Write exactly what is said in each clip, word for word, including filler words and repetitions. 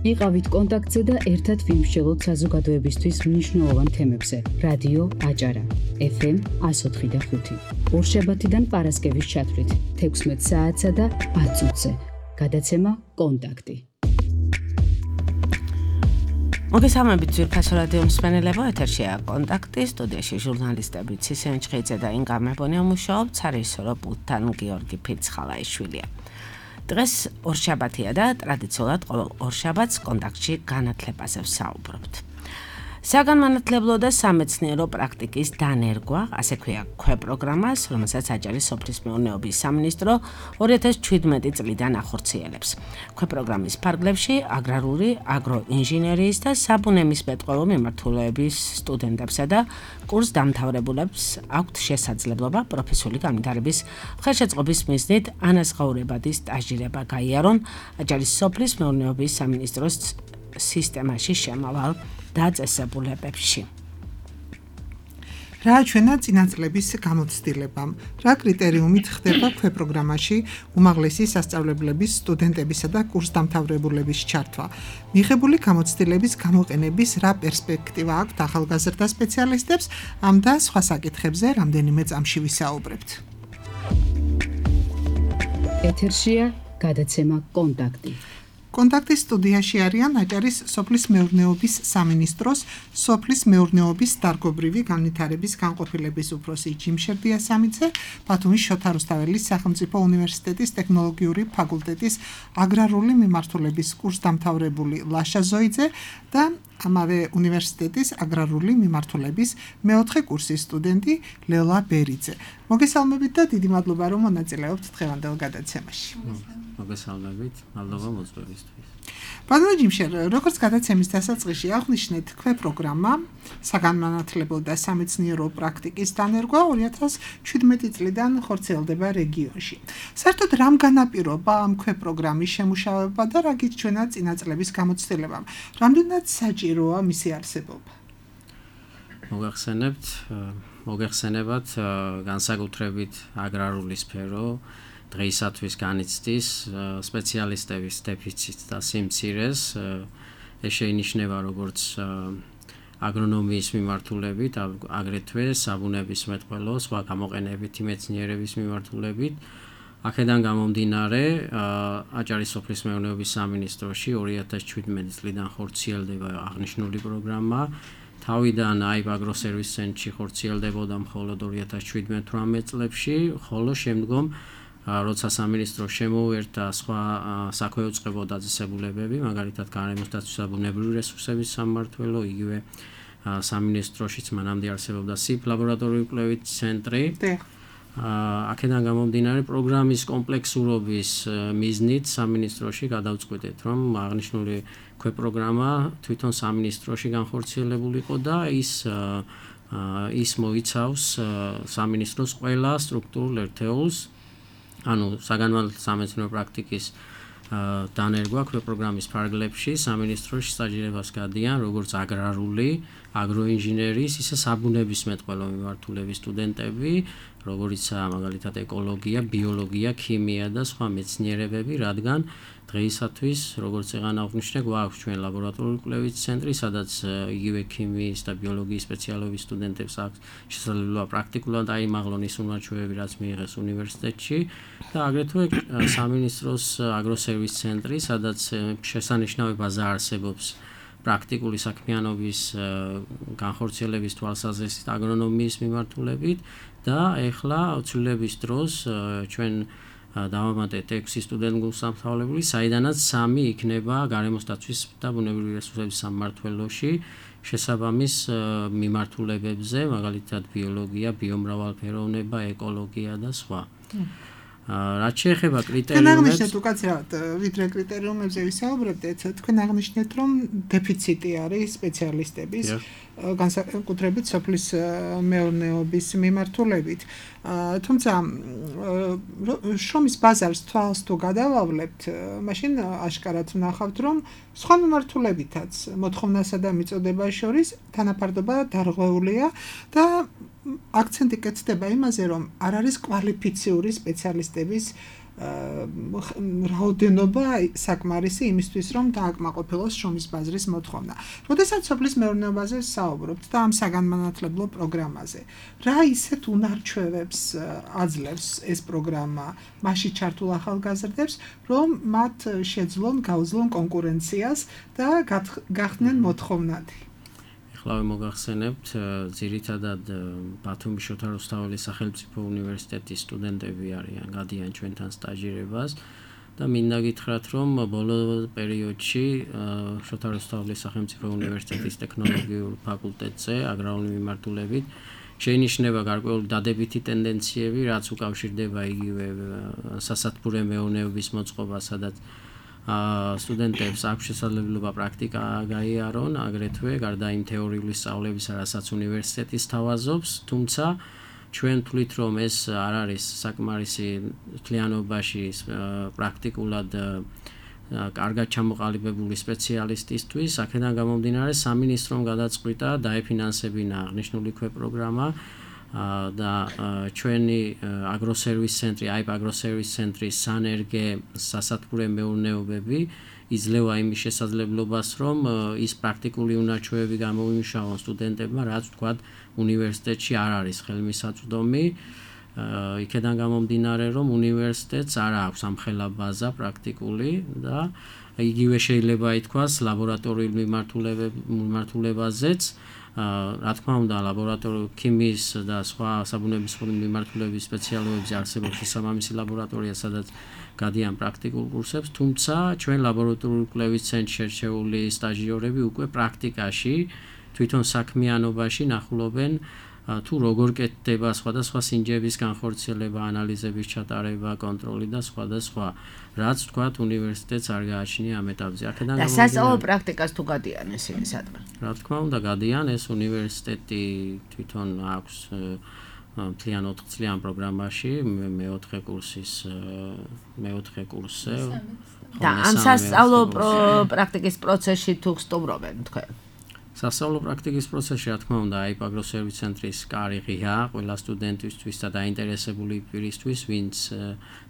იყავით კონტაქტზე და ერთად ვიმსჯელოთ საზოგადოებისთვის მნიშვნელოვან თემებზე. რადიო აჭარა, ეფ ემ εκατო ოთხი და ხუთი. ორშაბათიდან პარასკევის ჩათვლით, თექვსმეტ საათსა და ათ წუთზე. გადაცემა კონტაქტი. მოგესალმებით ძვირფასო რადიო მსმენელებო, ეთერშია კონტაქტი, სტუდიაში ჟურნალისტები ცისენ ჩხეიძე და ინგა მებონია მუშაობ, ცარისორო პუტთან გიორგი ფიცხალაიშვილია. დღეს ორშაბათია და ტრადიციულად ყოველ ორშაბათს კონტაქტში განათლებაზე ვსაუბრობთ. საგანმანათლებლო და სამეცნიერო პრაქტიკის დანერგვა, ასე ქვია ქვეპროგრამას, რომელსაც აჭარის სოფლის მეურნეობის სამინისტრო ორი ათას ჩვიდმეტი წლიდან ახორციელებს. ქვეპროგრამის ფარგლებში აგრარული, აგროინჟინერიის და საბუნებისმეტყველო მიმართულების სტუდენტებსა და კურს დამთავრებულებს აქვთ შესაძლებლობა პროფესიული განვითარების ხელშეწყობის მიზნით ანაზღაურებადი სტაჟირება გაიარონ აჭარის სოფლის მეურნეობის სამინისტროს სისტემაში შემავალ დაწესებულებებში. რა ჩვენა წინაწლების გამოცდილებამ, რა კრიტერიუმით ხდება ქვეპროგრამაში უმაღლესი სასწავლებლების სტუდენტებისა და კურსდამთავრებულების ჩართვა. მიღებული გამოცდილების გამოყენების რა პერსპექტივა აქვთ ახალგაზრდა სპეციალისტებს, ამ და სხვა საკითხებზე რამდენიმე წამში ვისაუბრებთ. ეთერშია გადაცემა კონტაქტი. კონტაქტის სტუდიაში არიან აჭარის სოფლის მეურნეობის სამინისტროს სოფლის მეურნეობის დარგობრივი განვითარების განყოფილების უფროსი ჯიმშერდიასამიძე, ბათუმის შოთა რუსთაველის სახელმწიფო უნივერსიტეტის ტექნოლოგიური ფაკულტეტის აგრარული მიმართულების კურსდამთავრებული ლაშა ზოიძე და ამავე უნივერსიტეტის აგრარული მიმართულების მეოთხე კურსის სტუდენტი ლელა ბერიძე. მოგესალმებით და დიდი მადლობა რომ მონაწილეობთ დღევანდელ გადაცემაში. მოგესალმებით, მადლობა მოწვევისთვის. ბატონო ჯიმშერ, როგორც გადაცემის დასაწყისში აღნიშნეთ, ქვეპროგრამა საგანმანათლებლო და სამეცნიერო პრაქტიკის დანერგვა ორი ათას ჩვიდმეტი წლიდან ხორციელდება რეგიონში. საერთოდ რამ განაპირობა ამ ქვეპროგრამის შემუშავება და რა გიჩვენა წინაწლების გამოცდილებამ? რამდენად საჭიროა მისი არსებობა? მოგახსენებთ, მოგეხსენებათ განსაკუთრებით აგრარული სფერო დღეისათვის განიცდის სპეციალისტების დეფიციტს და სიმცირეს. ეს შეინიშნება როგორც აგრონომიის მიმართულებით, აგრეთვე საბუნებისმეტყველო, სხვა გამოყენებითი მეცნიერების მიმართულებით. აქედან გამომდინარე, აჭარის სოფლის მეურნეობის სამინისტროში ორი ათას ჩვიდმეტი წლიდან ხორციელდება აღნიშნული პროგრამა. თავიდან აიბ აგროსერვის ცენტრში ხორციელდებოდა მხოლოდ ორი ათას შვიდმეტ-თვრამეტ წლებში, ხოლო შემდგომ როცა სამინისტრო შემოუერთა სხვა საქვეუწყებო დაწესებულებები, მაგალითად გარემოსდაცვის და ბუნებრივი რესურსების სამმართველო, იგივე სამინისტროშიც მანამდე არსებობდა სიფ ლაბორატორიული კვლევითი ცენტრი. აქედან გამომდინარე პროგრამის კომპლექსურობის მიზნით სამინისტროში გადავწყვიტეთ, რომ აღნიშნული ქვეპროგრამა თვითონ სამინისტროში განხორციელებული იყო და ის ის მოიცავს სამინისტროს ყველა სტრუქტურულ ერთეულს, ანუ საგანმანათლებლო სამეცნიერო პრაქტიკის დანერგვა ქვეპროგრამის ფარგლებში სამინისტროში სტაჟირებას გადიან როგორც აგრარული, აგროინჟინერიის, ისე საბუნებისმეტყველო მიმართულების სტუდენტები, როგორიცაა მაგალითად ეკოლოგია, ბიოლოგია, ქიმია და სხვა მეცნიერებები, რადგან დღეისათვის, როგორც ეღან აღნიშნე, გვაქვს ჩვენ ლაბორატორიული კვლევითი ცენტრი, სადაც იგივე ქიმიის და ბიოლოგიის სპეციალობის სტუდენტებს აქვს შესაძლებლობა პრაქტიკულად აიმაღლონ ის უნარჩვევები, რაც მიიღეს უნივერსიტეტში და აგრეთვე სამინისტროს აგროსერვის ცენტრი, სადაც შესანიშნავებაზე არსებობს პრაქტიკული საქმიანობის განხორციელების თვალსაზრისით აგრონომიის მიმართულებით და ეხლა ცვლილების დროს ჩვენ დავამატეთ ექვსი სტუდენტ გულსამთავრებელი, საიდანაც სამი იქნება გარემოსდაცვის და ბუნებრივი რესურსების სამმართველოში შესაბამის მიმართულებებზე, მაგალითად ბიოლოგია, ბიომრავალფეროვნება, ეკოლოგია და სხვა. რაც შეეხება კრიტერიუმებს, თქვენ აღნიშნეთ უკაცრავად, ვიდრე კრიტერიუმებზე ვისაუბრებდეთ, თქვენ აღნიშნეთ, რომ დეფიციტი არის სპეციალისტების, განსაკუთრებით სოფლის მეურნეობის მიმართულებით. თუმცა შრომის ბაზარს თვალს თუ გადავავლებთ, მაშინ აშკარად ვნახავთ, რომ სხვა მიმართულებითაც მოთხოვნასა და მიწოდებას შორის თანაფარდობა დარღვეულია და აქცენტი კეთდება იმაზე, რომ არ არის კვალიფიციური სპეციალისტების რაოდენობა საკმარისი იმისთვის, რომ დააკმაყოფილოს შრომის ბაზრის მოთხოვნა. როდესაც სოფლის მეურნეობაზე საუბრობთ და ამ საგანმანათლებლო პროგრამაზე, რა ისეთ უნარჩვევებს აძლევს ეს პროგრამა მასში ჩართულ ახალგაზრდებს, რომ მათ შეძლონ გაუძლონ კონკურენციას და გახდნენ მოთხოვნადი? ახლა მოგახსენებთ, ძირითადად ბათუმის შოთა რუსთაველის სახელმწიფო უნივერსიტეტის სტუდენტები არიან, გადიან ჩვენთან სტაჟირებას და მინდა გითხრათ, რომ ბოლო პერიოდში შოთა რუსთაველის სახელმწიფო უნივერსიტეტის ტექნოლოგიურ ფაკულტეტზე აგრარული მიმართულებით შეინიშნება გარკვეული დადებითი ტენდენციები, რაც უკავშირდება იგივე სასათბურე მეურნეობის მოწყობას, სადაც სტუდენტებს აქვს შესაძლებლობა პრაქტიკა გაიარონ, აგრეთვე გარდა იმ თეორიული სწავლებისა, რასაც უნივერსიტეტი სთავაზობს, თუმცა ჩვენ ვთვლით, რომ ეს არ არის საკმარისი მთლიანობაში პრაქტიკულად კარგად ჩამოყალიბებული სპეციალისტისთვის, აქედან გამომდინარე სამინისტრომ გადაწყვიტა დაეფინანსებინა აღნიშნული ქვეპროგრამა და ჩვენი აგროსერვის ცენტრი, აიპ აგროსერვის ცენტრის სანერგე სასათბურე მეურნეობები იძლევა იმის შესაძლებლობას, რომ ის პრაქტიკული უნარჩვევები გამოიმუშავონ სტუდენტებმა, რაც ვთქვათ, უნივერსიტეტში არ არის ხელმისაწვდომი. იქედან გამომდინარე, რომ უნივერსიტეტს არ აქვს ამხელა ბაზა პრაქტიკული და იგივე შეიძლება ითქვას ლაბორატორიულ მიმართულებაზეც. რა თქმა უნდა, ლაბორატორიული ქიმიის და სხვა საბუნებისმეტყველო მიმართულების სპეციალობებზე არსებობს შესაბამისი ლაბორატორია, სადაც გადიან პრაქტიკულ კურსებს, თუმცა ჩვენ ლაბორატორიული კვლევის ცენტრში შერჩეული სტაჟიორები უკვე პრაქტიკაში, თვითონ საქმიანობაში ნახულობენ თუ როგორ კეთდება სხვადასხვა სინჯების განხორციელება, ანალიზების ჩატარება, კონტროლი და სხვა და სხვა, რაც თქვათ უნივერსიტეტს არ გააჩნია ამ ეტაპზე. აქედან და სასწავლო პრაქტიკას თუ გადიან ესენი სადმე? რა თქმა უნდა, გადიან, ეს უნივერსიტეტი თვითონ აქვს მთლიან ოთხწლიან პროგრამაში, მეოთხე კურსის მეოთხე კურსზე. და ამ სასწავლო პრაქტიკის პროცესში თუ სტუმრობენ თქვენ? სასწავლო პრაქტიკის პროცესში, რა თქმა უნდა, აიპ აგროსერვის ცენტრის კარი ღია ყველა სტუდენტისთვის და დაინტერესებული პირისთვის, ვინც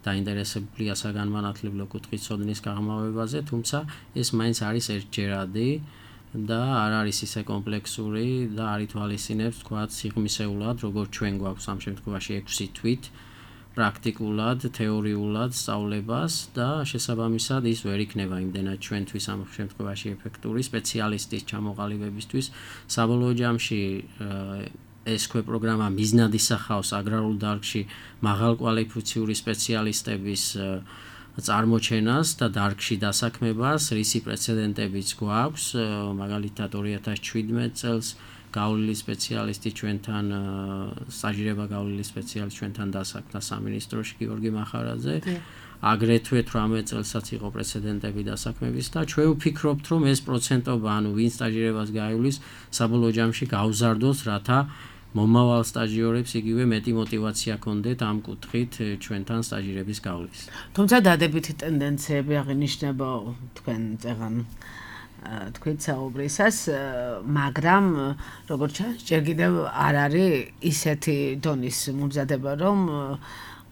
დაინტერესებულია საგანმანათლებლო კუთხით ცოდნის გაღრმავებაზე, თუმცა ეს მაინც არის ერთჯერადი და არ არის ისე კომპლექსური და არ ითვალისწინებს, თქვათ, სიღრმისეულად, როგორც ჩვენ გვაქვს ამ შემთხვევაში ექვსი თვით პრაქტიკულად, თეორიულად სწავლებას და შესაბამისად ის ვერ იქნება იმდენად ჩვენთვის ამ შემთხვევაში ეფექტური სპეციალისტის ჩამოყალიბებისთვის. საბოლოო ჯამში ეს ქვეპროგრამა მიზნად ისახავს აგრარულ დარგში მაღალკვალიფიციური სპეციალისტების წარმოჩენას და დარგში დასაქმებას, რისი პრეცედენტებიც გვაქვს, მაგალითად ორი ათას შვიდმეტ წელს გავლილი სპეციალისტი ჩვენთან სტაჟირება გავლილი სპეციალისტი ჩვენთან დასაქმდა სამინისტროში გიორგი მახარაძე. აგრეთვე თვრამეტ წელსაც იყო პრეცედენტები დასაქმების და ჩვენ ვფიქრობთ, რომ ეს პროცენტობა, ანუ ვინ სტაჟირებას გაივლის, საბოლოო ჯამში გავზარდოს, რათა მომავალ სტაჟიორებს იგივე მეტი мотиваცია ქონდეთ ამ კუთხით ჩვენთან სტაჟირების გავლის. თუმცა დადებითი ტენდენციები აღინიშნება თქვენ წეღან თქვენ საუბრისას, მაგრამ როგორც ჩანს, ჯერ კიდევ არ არის ისეთი დონის მომზადება, რომ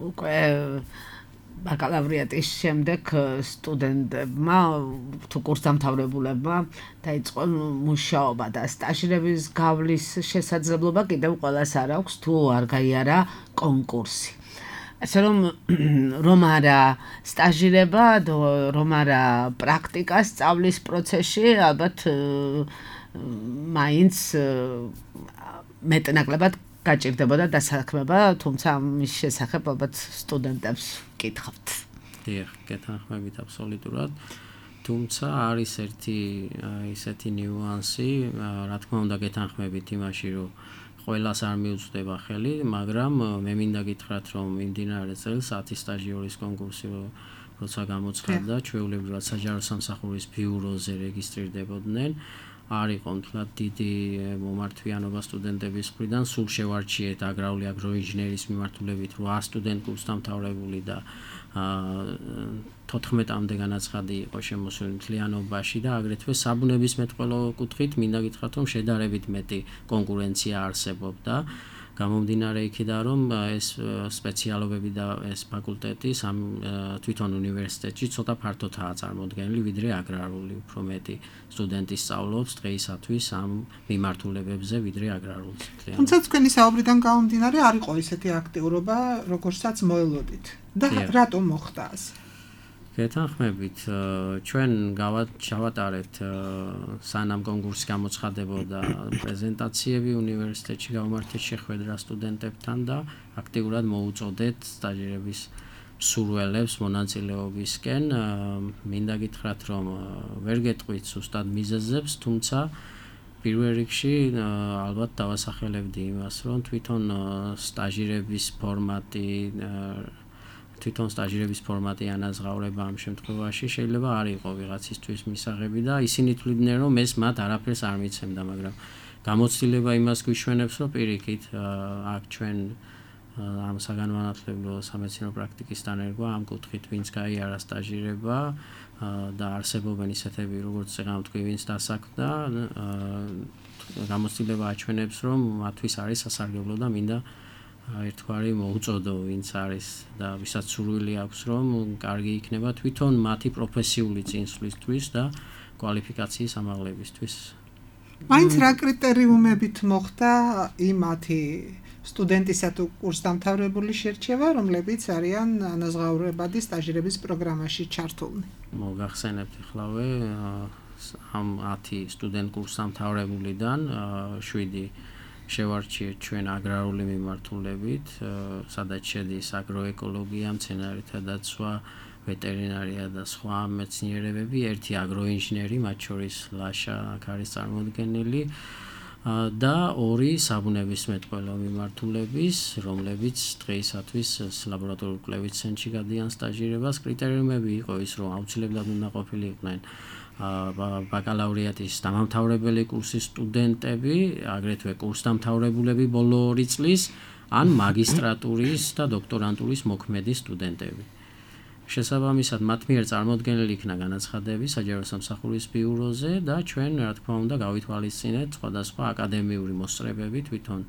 უკვე ბაკალავრიატის შემდეგ სტუდენტებმა თუ კურსდამთავრებულებმა დაიწყონ მუშაობა და სტაჟირების გავლის შესაძლებლობა კიდევ ყველას არ აქვს თუ არ გაიარა კონკურსი. ასე რომ რომ არა სტაჟირება, რომ არა პრაქტიკა სწავლის პროცესში, ალბათ მაინც მეტნაკლებად გაჭირდებოდა დასაქმება, თუმცა ამის შესახებ ალბათ სტუდენტებს კითხავთ. დიახ, გეთანხმებით აბსოლუტურად. თუმცა არის ერთი ისეთი ნიუანსი, რა თქმა უნდა გეთანხმებით იმაში, რომ ყველას არ მიუწვდება ხელი, მაგრამ მე მინდა გითხრათ, რომ მიმდინარე წელს ათი სტაჟიორის კონკურსი როცა გამოცხადდა, ჩვეულებრივად საჯარო სამსახურის ბიუროზე რეგისტრირდებოდნენ. არ იყო მთლად დიდი მომართვიანობა სტუდენტების მხრიდან, სულ შევარჩიეთ აგრარული აგროინჟინერიის მიმართულებით რვა სტუდენტ კურსდამთავრებული და თოთხმეტამდე განაცხადი იყო შემოსული მთლიანობაში და აგრეთვე საბუნებისმეტყველო კუთხით მინდა გითხრათ, რომ შედარებით მეტი კონკურენცია არსებობდა გამომდინარე იქიდან რომ ეს სპეციალობები და ეს ფაკულტეტი სამ თვითონ უნივერსიტეტში ცოტა ფართოდაა წარმოდგენილი ვიდრე აგრარული, უფრო მეტი სტუდენტი სწავლობს დღეისათვის ამ მიმართულებებზე ვიდრე აგრარული. თუმცა თქვენი საუბრიდან გამომდინარე არ იყო ისეთი აქტიურობა, როგორცაც მოელოდით. და რატომ მოხდა ასე? გეთანხმებით, ჩვენ გავატარეთ სანამ კონკურსი გამოცხადებოდა პრეზენტაციები უნივერსიტეტში გავმართეთ შეხვედრა სტუდენტებთან და აქტიურად მოუწოდეთ სტაჟირების მსურველებს მონაწილეობისკენ. მინდა გითხრათ, რომ ვერ გეტყვით ზუსტად მიზეზებს, თუმცა პირველ რიგში ალბათ დავასახელებდი იმას, რომ თვითონ სტაჟირების ფორმატი თვითონ სტაჟირების ფორმატი ანაზღაურება ამ შემთხვევაში შეიძლება არ იყო ვიღაცისთვის მისაღები და ისინი თვლიდნენ რომ ეს მათ არაფერს არ მიცემდა, მაგრამ გამოცდილება იმას გვიშვენებს, რომ პირიქით აქ ჩვენ ამ საგანმანათლებლო სამეცნიერო პრაქტიკის დანერგვა ამ კუთხით ვინც გაიარა სტაჟირება და არსებობენ ისეთები როგორც წეგან თქვი ვინც დასაქმდა, გამოცდილება აჩვენებს რომ მათთვის არის სასარგებლო და მინდა ერთგვარი მოუწოდო ვინც არის და ვისაც სურვილი აქვს რომ კარგი იქნება თვითონ მათი პროფესიული წინსვლისთვის და კვალიფიკაციის ამაღლებისთვის. მაინც რა კრიტერიუმებით მოხდა იმათი სტუდენტისა თუ კურსდამთავრებული შერჩევა, რომლებიც არიან ანაზღაურებადი სტაჟირების პროგრამაში ჩართულნი? მოგახსენებთ ახლავე ამ ათი სტუდენტ კურსდამთავრებულიდან შვიდი შევარჩიეთ ჩვენ აგრარული მიმართულებით, სადაც შედის აგროეკოლოგია, მცენარეთა დაცვა, ვეტერინარია და სხვა მეცნიერებები, ერთი აგროინჟინერი, მათ შორის ლაშა აქ არის წარმოდგენილი და ორი საბუნებისმეტყველო მიმართულების, რომლებიც დღეისათვის ლაბორატორიულ კვლევით ცენტრში გადიან სტაჟირებას. კრიტერიუმები იყო ის, რომ აუცილებლად უნდა ყოფილიყვნენ ბაკალავრიატის დამამთავრებელი კურსის სტუდენტები, აგრეთვე კურსდამთავრებულები ბოლო ორი წლის, ან მაგისტრატურის და დოქტორანტურის მოქმედი სტუდენტები. შესაბამისად, მათ მიერ წარმოდგენილი იქნა განაცხადები საჯარო სამსახურის ბიუროზე და ჩვენ, რა თქმა უნდა, გავითვალისწინეთ სხვადასხვა აკადემიური მოსწრებები თვითონ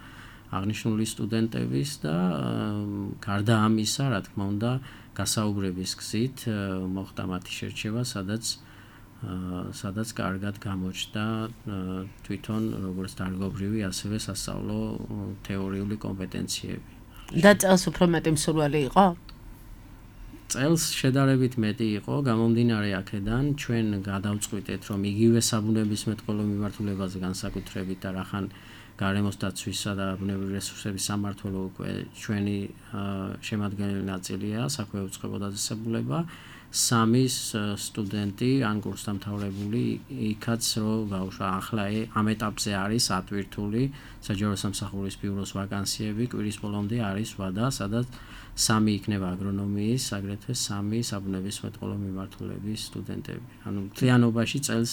აღნიშნული სტუდენტების და გარდა ამისა, რა თქმა უნდა, გასაუბრების გზით მოხდა მათი შერჩევა, სადაც სადაც კარგად გამოჩნდა თვითონ როგორც დარგობრივი, ასევე სასწავლო თეორიული კომპეტენციები. და წელს უფრო მეტი მსურველი იყო? წელს შედარებით მეტი იყო, გამომდინარე აქედან ჩვენ გადავწყვიტეთ, რომ იგივე საბუნებისმეტყველო მიმართულებაზე განსაკუთრებით და რახან გარემოს დაცვისა და ბუნებრივი რესურსების სამმართველო უკვე ჩვენი შემადგენელი ნაწილია, საქმე უწყებო დაწესებულება, სამი სტუდენტი ან კურსდამთავრებული იქაც რო გავუშვა. ახლა ამ ეტაპზე არის ატვირთული საჯარო სამსახურის ბიუროს ვაკანსიები, კვირის ბოლომდე არის ვადა, სადაც სამი იქნება აგრონომიის, აგრეთვე სამი საბუნებისმეტყველო მიმართულების სტუდენტები. ანუ მთლიანობაში წელს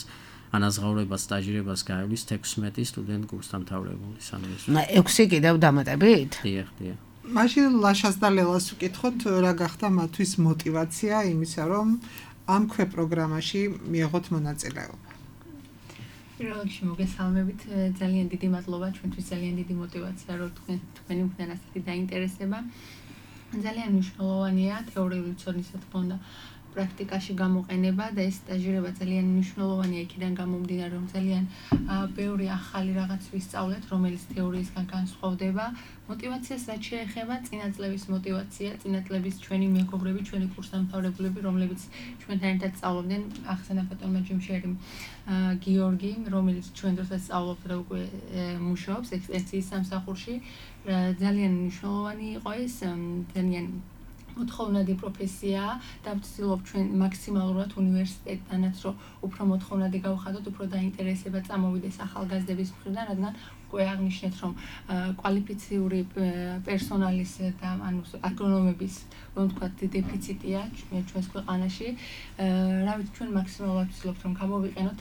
ანაზღაურება სტაჟირებას გაივლის თექვსმეტი სტუდენტ კურსდამთავრებული სამეცნიერო. ექვსი კიდევ დამატებით? დიახ, დიახ. მაშინ ლაშას და ლელას ვკითხოთ, რა გახდა მათთვის мотиваცია იმისა, რომ ამ ქვე პროგრამაში მიიღოთ მონაწილეობა? პირველ რიგში მოგესალმებით, ძალიან დიდი მადლობა, ჩვენთვის ძალიან დიდი мотиваცია, რომ თქვენ თქვენი მქონდა ასეთი დაინტერესება. ძალიან მნიშვნელოვანია თეორიული ცოდნის რა თქმა უნდა პრაქტიკაში გამოყენება და ეს სტაჟირება ძალიან მნიშვნელოვანია იქიდან გამომდინარე, რომ ძალიან ბევრი ახალი რაღაც ვისწავლეთ, რომელიც თეორიისგან განსხვავდება. мотиваციას რაც შეეხება, წინაწლების мотиваცია, წინაწლების ჩვენი მეგობრები, ჩვენი კურსდამთავრებულები, რომლებიც ჩვენთან ერთად სწავლობდნენ, ახსენა ბატონმა ჯიმშერი გიორგი, რომელიც ჩვენ დროსაც სწავლობს და უკვე მუშაობს ექსტენსიის სამსახურში. ძალიან მნიშვნელოვანი იყო ეს, ძალიან მოთხოვნადი პროფესიაა და ვცდილობ ჩვენ მაქსიმალურად უნივერსიტეტთანაც რომ უფრო მოთხოვნადი გავხადოთ, უფრო დაინტერესება წამოვიდეს ახალგაზრდების მხრიდან, რადგან უკვე აღნიშნეთ, რომ კვალიფიციური პერსონალის და ანუ აგრონომების, რომ ვთქვათ, დეფიციტია ჩვენს ქვეყანაში. რა ვიცი, ჩვენ მაქსიმალურად ვცდილობთ, რომ გამოვიყენოთ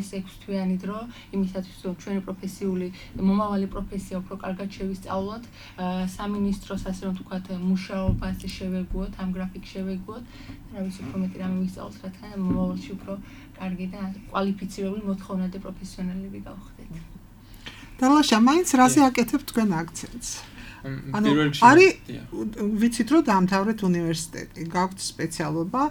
ეს ექვსთვიანი დრო იმისათვის, რომ ჩვენი პროფესიული, მომავალი პროფესია უფრო კარგად შევისწავლოთ, სამინისტროს ასე რომ ვთქვათ, მუშაობას შევეგუოთ, ამ გრაფიკს შევეგუოთ. რა ვიცი, უფრო მეტი რამე ვისწავლოთ, რადგან მომავალში უფრო კარგი და კვალიფიცირებული მოთხოვნადი პროფესიონალები გავხდეთ. და ლაშა, მაინც რაზე აკეთებთ თქვენ აქცენტს? ანუ არის ვიცით რომ დაამთავრეთ უნივერსიტეტი, გაქვთ სპეციალობა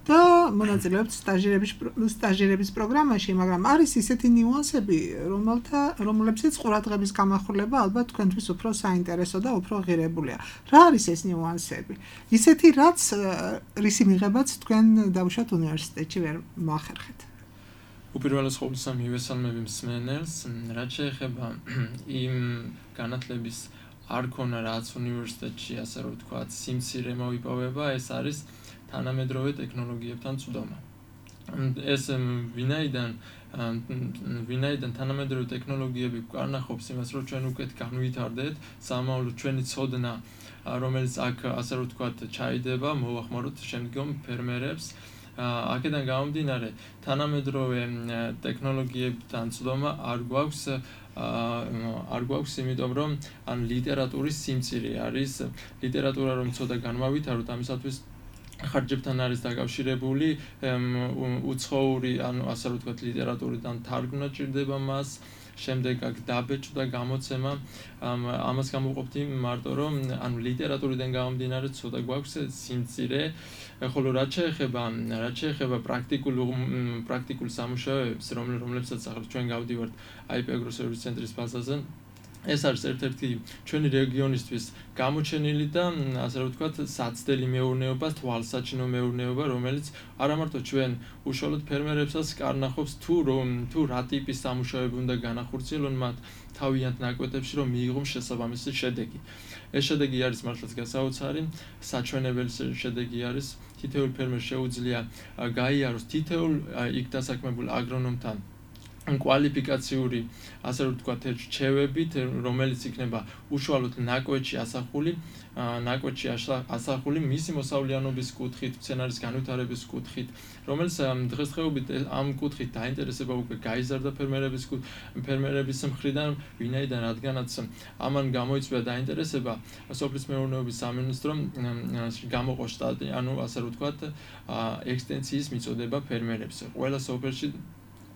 და მონაწილეობთ სტაჟირების სტაჟირების პროგრამაში, მაგრამ არის ისეთი ნიუანსები, რომელთა რომლებსაც ყურადღების გამახვილება ალბათ თქვენთვის უფრო საინტერესო და უფრო ღირებულია. რა არის ეს ნიუანსები? ისეთი რაც რისი მიღებაც თქვენ დავუშვათ უნივერსიტეტში ვერ მოახერხეთ. უპირველეს ყოვლისა მივესალმები მსმენელს, რაც შეეხება იმ განათლების არ ქონა რაც უნივერსიტეტში, ასე რომ ვთქვათ, სიმცირე მოიპოვება, ეს არის თანამედროვე ტექნოლოგიებთან წვდომა. ეს ვინაიდან ვინაიდან თანამედროვე ტექნოლოგიები გვკარნახობს იმას, რომ ჩვენ უკეთ განვითარდეთ, სამომავლოდ ჩვენი ცოდნა, რომელიც აქ ასე რომ ვთქვათ, ჩაიდება, მოვახმაროთ შემდგომ ფერმერებს. აქედან გამომდინარე, თანამედროვე ტექნოლოგიებთან წვდომა არ გვაქვს არ გვაქვს, იმიტომ რომ ან ლიტერატურის სიმცირე არის, ლიტერატურა რომ ცოტა განმავითაროთ, ამისათვის ხარჯებთან არის დაკავშირებული უცხოური, ანუ ასე რომ ვთქვათ, ლიტერატურიდან თარგმნა ჭირდება მას, შემდეგ აქ დაბეჭდა გამოცემა, ამას გამოვყოფთ მარტო რომ ანუ ლიტერატურიდან გამომდინარე ცოტა გვაქვს სიმცირე, ხოლო რაც შეეხება რაც შეეხება პრაქტიკულ პრაქტიკულ სამუშაოებს, რომლებსაც ახლა ჩვენ გავდივართ აი პი აგროსერვისის ცენტრის ბაზაზე, ეს არის ერთ-ერთი ჩვენი რეგიონისთვის გამოჩენილი და ასე რომ ვთქვათ, საცდელი მეურნეობა, თვალსაჩინო მეურნეობა, რომელიც არა მარტო ჩვენ უშუალოდ ფერმერებსაც კარნახობს თუ რომ თუ რა ტიპის სამუშაოები უნდა განახორციელონ მათ თავიანთ ნაკვეთებში, რომ მიიღონ შესაბამისი შედეგი. ეს შედეგი არის მართლაც გასაოცარი, საჩვენებელი შედეგი არის, თითოეულ ფერმერს შეუძლია გაიაროს თითოეულ იქ დასაქმებულ აგრონომთან კვალიფიკაციური, ასე რომ ვთქვათ, რჩევებით, რომელიც იქნება უშუალოდ ნაკვეთში ასახული, ნაკვეთში ასახული მისი მოსავლიანობის კუთხით, მცენარის განვითარების კუთხით, რომელიც დღესდღეობით ამ კუთხით დაინტერესება უკვე გაიზარდა ფერმერების ფერმერების მხრიდან, ვინაიდან რადგანაც ამან გამოიწვია დაინტერესება, სოფლის მეურნეობის სამინისტრომ გამოყო შტატი, ანუ ასე რომ ვთქვათ, ექსტენსიის მიწოდება ფერმერებს. ყველა სოფელში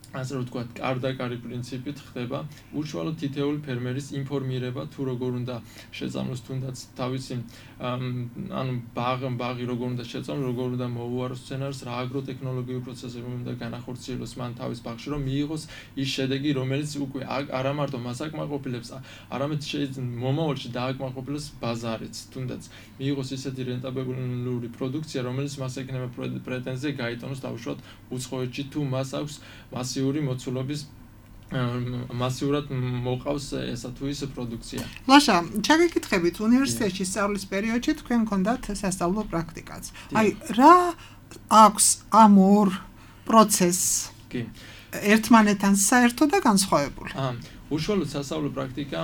ასე რომ ვთქვათ, კარდაკარი პრინციპით ხდება უშუალოდ თითოეული ფერმერის ინფორმირება, თუ როგორ უნდა შეწამლოს თუნდაც თავისი ანუ ბაღი ბაღი როგორ უნდა შეწამლოს, როგორ უნდა მოუაროს მცენარეს, რა აგროტექნოლოგიური პროცესები უნდა განახორციელოს მან თავის ბაღში, რომ მიიღოს ის შედეგი, რომელიც უკვე არა მარტო მას აკმაყოფილებს, არამედ შეიძლება მომავალში დააკმაყოფილოს ბაზარიც, თუნდაც მიიღოს ისეთი რენტაბელური პროდუქცია, რომელიც მას ექნება პრეტენზია გაიტანოს დაუშვათ უცხოეთში, თუ მას აქვს მასიური მოცულობის მასიურად მოყავს ესა თუ ის პროდუქცია. ლაშა, ჩაგეკითხებით, უნივერსიტეტში სწავლის პერიოდში თქვენ გქონდათ სასწავლო პრაქტიკაც. აი, რა აქვს ამ ორ პროცესს? კი. ერთმანეთთან საერთო და განსხვავებული. აა, უშუალოდ სასწავლო პრაქტიკა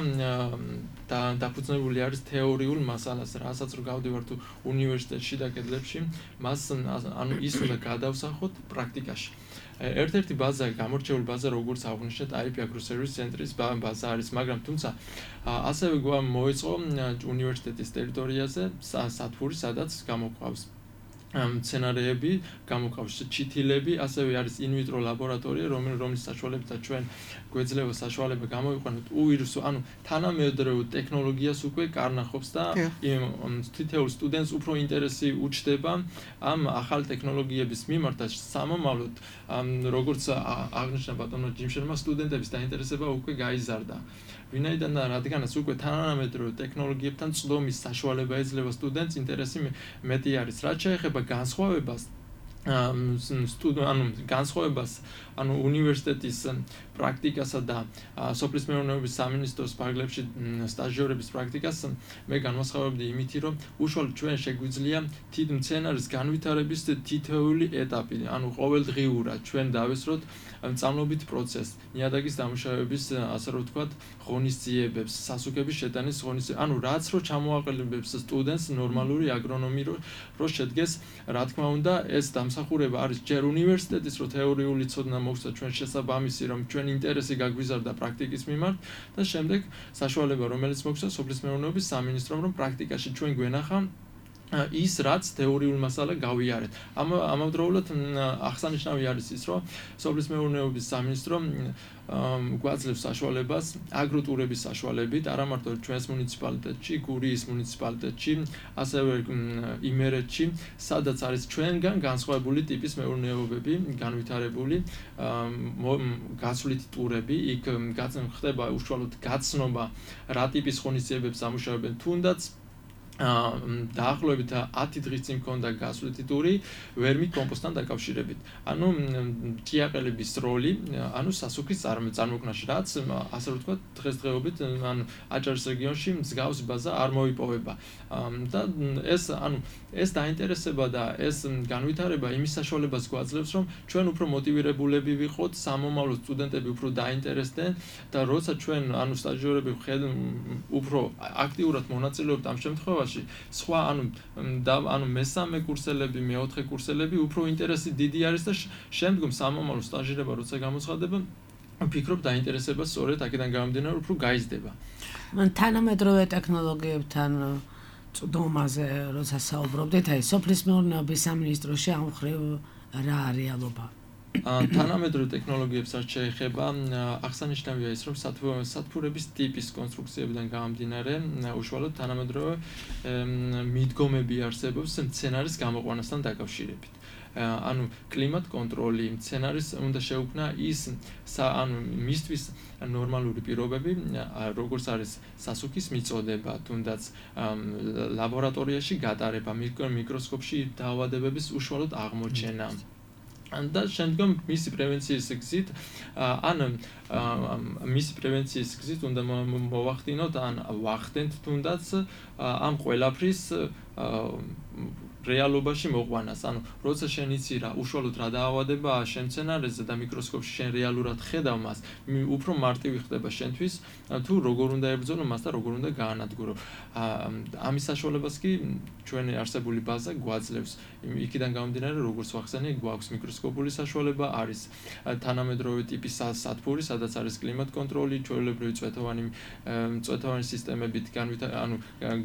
და დაფუძნებული არის თეორიულ მასალაზე, რასაც რო გავდივართ უნივერსიტეტში და კედლებში, მას ანუ ის უნდა გადავსახოთ პრაქტიკაში. ერთ-ერთი ბაზა, გამორჩეული ბაზა, როგორც აღვნიშნეთ, აი პი აგროსერვისის ცენტრის ბაზა არის, მაგრამ თუმცა ასევე მოეწყო უნივერსიტეტის ტერიტორიაზე სათბური, სადაც გამოყვავს მცენარეები, გამოყავს ჩითილები, ასევე არის ინვიტრო ლაბორატორია, რომლის საშუალებითაც ჩვენ გვეძლევა საშუალება გამოვიყვანოთ უირსო, ანუ თანამედროვე ტექნოლოგიას უკვე კარნახობს და თითოეულ სტუდენტს უფრო ინტერესი უჩნდება ამ ახალ ტექნოლოგიების მიმართ და სამომავლოდ, როგორც აღნიშნა ბატონო ჯიმშელმა, სტუდენტების დაინტერესება უკვე გაიზარდა. ვინაიდან რადგანაც უკვე თანამედროვე ტექნოლოგიებთან წვდომის საშუალება ეძლევა სტუდენტს, ინტერესი მეტი არის. რაც შეეხება განსხვავებას, ანუ განსხვავებას, ანუ უნივერსიტეტის პრაქტიკასა და სოფლის მეურნეობის სამინისტროს ფარგლებში სტაჟიორების პრაქტიკას, მე განვასხვავებდი იმითი, რომ უშუალოდ ჩვენ შეგვიძლია თით მცენარის განვითარების თითოეული ეტაპი, ანუ ყოველდღიურად ჩვენ დავესწროთ მწამლობით პროცესს, ნიადაგის დამუშავების, ასე რომ ვთქვათ, ღონისძიებებს, სასუქების შეტანის ღონისძიებებს, ანუ რაც რო ჩამოაყალიბებს სტუდენტს ნორმალური აგრონომი რო შედგეს, რა თქმა უნდა, ეს დამსახურება არის ჯერ უნივერსიტეტის, რო თეორიული ცოდნა მოგვცა ჩვენ შესაბამისი, რომ ჩვენ ინტერესი გაგვიზარდა პრაქტიკის მიმართ და შემდეგ საშუალება, რომელიც მოგვცა სოფლის მეურნეობის სამინისტრომ, რომ პრაქტიკაში ჩვენ გვენახა ის რაც თეორიულ მასალა გავიარეთ. ამ ამავდროულად აღსანიშნავი არის ის, რომ სოფლის მეურნეობის სამინისტრო გვაძლევს საშუალებას აგროტურების საშუალებით, არა მარტო ჩვენს მუნიციპალიტეტში, გურიის მუნიციპალიტეტში, ასევე იმერეთში, სადაც არის ჩვენგან განსხვავებული ტიპის მეურნეობები, განვითარებული გაცვლითი ტურები, იქ ხდება უშუალოდ გაცნობა რა ტიპის ღონისძიებებს ამუშავებენ, თუნდაც დაახლოებით ათი დღის წინ მქონდა გასვლითი ტური ვერმით კომპოსტთან დაკავშირებით. ანუ ჭიაყელების როლი, ანუ სასუქის წარმოქმნაში, რაც ასე რომ ვთქვათ, დღესდღეობით ანუ აჭარის რეგიონში მსგავსი ბაზა არ მოიპოვება. და ეს ანუ ეს დაინტერესება და ეს განვითარება იმის საშუალებას გვაძლევს, რომ ჩვენ უფრო მოტივირებულები ვიყოთ, სამომავლო სტუდენტები უფრო დაინტერესდნენ და როცა ჩვენ ანუ სტაჟიორები უფრო აქტიურად მონაწილეობთ ამ შემთხვევაში სხვა ანუ და ანუ მესამე კურსელები, მეოთხე კურსელები უფრო ინტერესი დიდი არის და შემდგომ სამომავლო სტაჟირება როცა გამოცხადება, ვფიქრობ დაინტერესება სწორედ აქედან გამომდინარე უფრო გაიზრდება. თანამედროვე ტექნოლოგიებთან წვდომაზე როცა საუბრობდით, აი სოფლის მეურნეობის სამინისტროში ამ მხრივ რა რეალობა? თანამედროვე ტექნოლოგიებს რაც შეეხება, აღსანიშნავია ის, რომ სათბურების ტიპის კონსტრუქციებიდან გამომდინარე, უშუალოდ თანამედროვე მიდგომები არსებობს მცენარის გამოყვანასთან დაკავშირებით. ანუ კლიმატ კონტროლი, მცენარის უნდა შეუქმნა ის ანუ მისთვის ნორმალური პირობები, როგორც არის სასუქის მიწოდება, თუნდაც ლაბორატორიაში გატარება, მიკროსკოპში დაავადებების უშუალოდ აღმოჩენა. და შემდგომ მისი პრევენციის გზით ან მისი პრევენციის გზით უნდა მოვახდინოთ ან ვახდენთ თუნდაც ამ ყველაფრის რეალობაში მოყვანას. ანუ როცა შენ იცი რა უშუალოდ რა დაავადებაა შენ მცენარეზე და მიკროსკოპში შენ რეალურად ხედავ მას, უფრო მარტივი ხდება შენთვის თუ როგორ უნდა ებრძოლო მას და როგორ უნდა გაანადგურო. ამის საშუალებას კი ჩვენი არსებული ბაზა გვაძლევს. იქიდან გამომდინარე, როგორც ვახსენე, გვაქვს მიკროსკოპული საშუალება, არის თანამედროვე ტიპის სათბური, სადაც არის კლიმატ კონტროლი, ჩვეულებრივი წვეთოვანი წვეთოვანი სისტემებით ანუ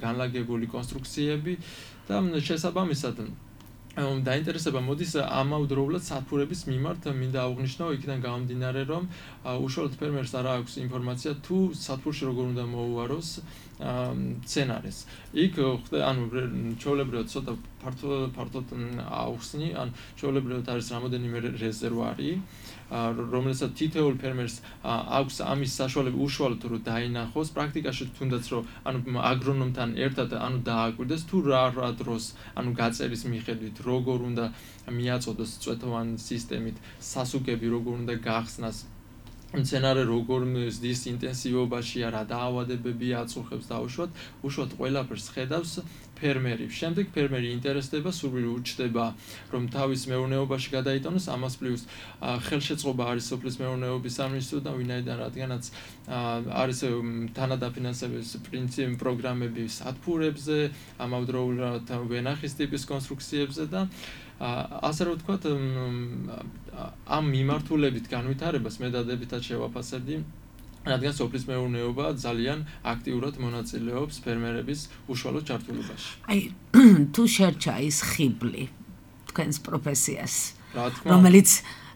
განლაგებული კონსტრუქციები და შესაბამისად დაინტერესება მოდის ამავდროულად სათბურების მიმართ მინდა აღვნიშნო იქიდან გამომდინარე, რომ უშუალოდ ფერმერს არ აქვს ინფორმაცია თუ სათბურში როგორ უნდა მოუვაროს მცენარეს. იქ ანუ ჩვეულებრივად ცოტა ფართოდ აუხსნი, ან ჩვეულებრივად არის რამოდენიმე რეზერვარი, რომელსაც თითოეულ ფერმერს აქვს ამის საშუალება უშუალოდ რომ დაინახოს, პრაქტიკაში თუნდაც რომ ანუ აგრონომთან ერთად ანუ დააკვირდეს თუ რა რა დროს ანუ გაწერის მიხედვით როგორ უნდა მიაწოდოს წვეთოვანი სისტემით სასუქები, როგორ უნდა გახსნას მცენარე როგორ ზრდის ინტენსივობაშია, რა დაავადებები აწუხებს და უშუალოდ უშუალოდ ყველაფერს ხედავს ფერმერი. შემდეგ ფერმერი ინტერესდება, სურვილი უჩნდება, რომ თავის მეურნეობაში გადაიტანოს, ამას პლუს ხელშეწყობა არის სოფლის მეურნეობის სამინისტროდან, ვინაიდან რადგანაც არის თანადაფინანსების პრინციპი პროგრამები სათბურებზე, ამავდროულად ვენახის ტიპის კონსტრუქციებზე და ასე რომ ვთქვათ, ამ მიმართულებით განვითარებას მე დადებითად შევაფასებდი, რადგან სოფლის მეურნეობა ძალიან აქტიურად მონაწილეობს ფერმერების უშუალო ჩართულობაში. აი, თუ შერჩა ის ხიბლი თქვენს პროფესიას, რომელიც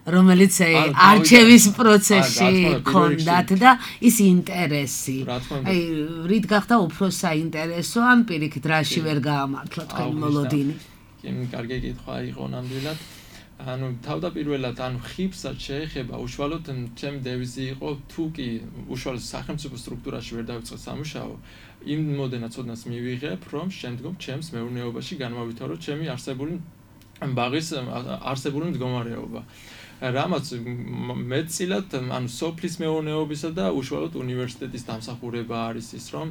რომელიც არჩევის პროცესში ქონდათ და ის ინტერესი. აი, რით გახდა უფრო საინტერესო, ან პირიქით რაში ვერ გაამართლა თქვენი მოლოდინი? კარგი კითხვა იყო ნამდვილად. ანუ თავდაპირველად ანუ ხიბსაც შეეხება უშუალოდ ჩემი დევიზი იყო თუ კი უშუალოდ სახელმწიფო სტრუქტურაში ვერ დავიწყე სამუშაო, იმოდენად ცოდნას მივიღებ, რომ შემდგომ ჩემს მეურნეობაში განმავითარო ჩემი არსებული ბაღის არსებული მდგომარეობა. რამაც მეტწილად ანუ სოფლის მეურნეობისა და უშუალოდ უნივერსიტეტის დამსახურება არის ის, რომ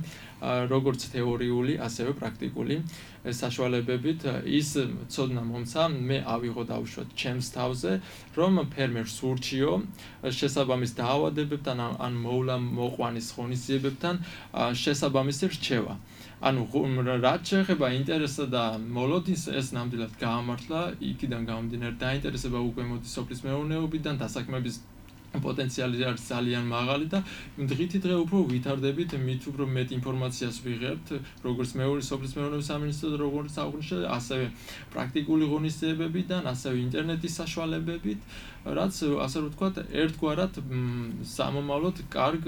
როგორც თეორიული, ასევე პრაქტიკული საშუალებებით ის ცოდნა მომცა მე ავიღო დაუშვათ ჩემს თავზე, რომ ფერმერს ურჩიო შესაბამის დაავადებებთან ან მოვლა მოყვანის ღონისძიებებთან შესაბამისი რჩევა. ანუ რაც შეეხება ინტერესსა და მოლოდინს, ეს ნამდვილად გაამართლა, იქიდან გამომდინარე დაინტერესება უკვე მოდის სოფლის მეურნეობიდან, დასაქმების პოტენციალი არის ძალიან მაღალი და დღითი დღე უფრო ვითარდებით, მით უფრო მეტ ინფორმაციას ვიღებთ, როგორც მეორე სოფლის მეურნეობის სამინისტროს, როგორც აღნიშნეთ, ასევე პრაქტიკული ღონისძიებებიდან, ასევე ინტერნეტის საშუალებებით, რაც ასე რომ ვთქვათ, ერთგვარად სამომავლოდ კარგ